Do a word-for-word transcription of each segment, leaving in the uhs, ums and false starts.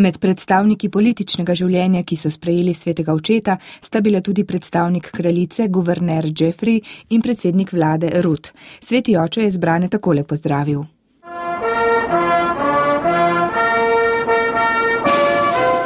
Med predstavniki političnega življenja, ki so sprejeli svetega očeta, sta bila tudi predstavnik kraljice, guverner Jeffrey in predsednik vlade Ruth. Sveti oče je zbrane takole pozdravil.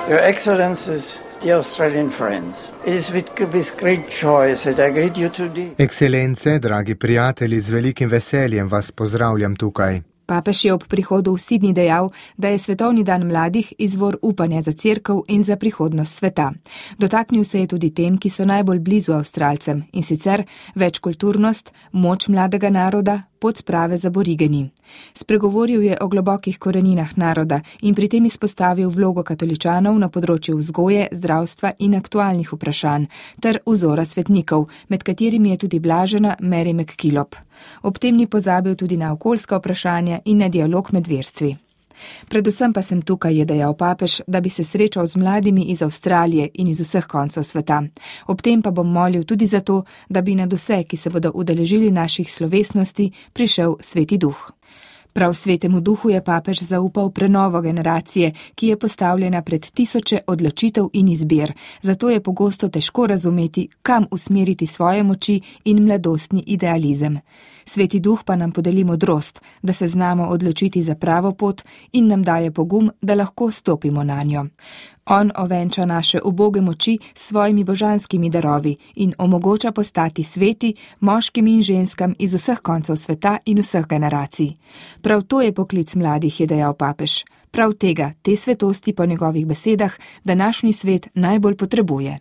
Your Excellencies, dear Australian friends, it is with, with great joy that I greet you today. Ekscelence, dragi prijatelji, z velikim veseljem vas pozdravljam tukaj. Papež je ob prihodu v Sydney dejal, da je svetovni dan mladih izvor upanja za cerkev in za prihodnost sveta. Dotaknil se je tudi tem, ki so najbolj blizu Avstralcem, in sicer večkulturnost, moč mladega naroda, pot sprave z aborigeni. Spregovoril je o globokih koreninah naroda in pri tem izpostavil vlogo katoličanov na področju vzgoje, zdravstva in aktualnih vprašanj, ter vzora svetnikov, med katerimi je tudi blažena Mary McKillop. Ob tem ni pozabil tudi na okoljska vprašanja in na dialog med verstvi. Predvsem pa sem tukaj, je dejal papež, da bi se srečal z mladimi iz Avstralije in iz vseh koncev sveta. Ob tem pa bom molil tudi za to, da bi nad vse, ki se bodo udeležili naših slovesnosti, prišel Sveti Duh. Prav Svetemu Duhu je papež zaupal prenovo generacije, ki je postavljena pred tisoče odločitev in izbir, zato je pogosto težko razumeti, kam usmeriti svoje moči in mladostni idealizem. Sveti Duh pa nam podeli modrost, da se znamo odločiti za pravo pot in nam daje pogum, da lahko stopimo na njo. On ovenča naše uboge moči s svojimi božanskimi darovi in omogoča postati sveti moškim in ženskam iz vseh koncev sveta in vseh generacij. Prav to je poklic mladih, je dejal papež. Prav tega, te svetosti po njegovih besedah, današnji svet najbolj potrebuje.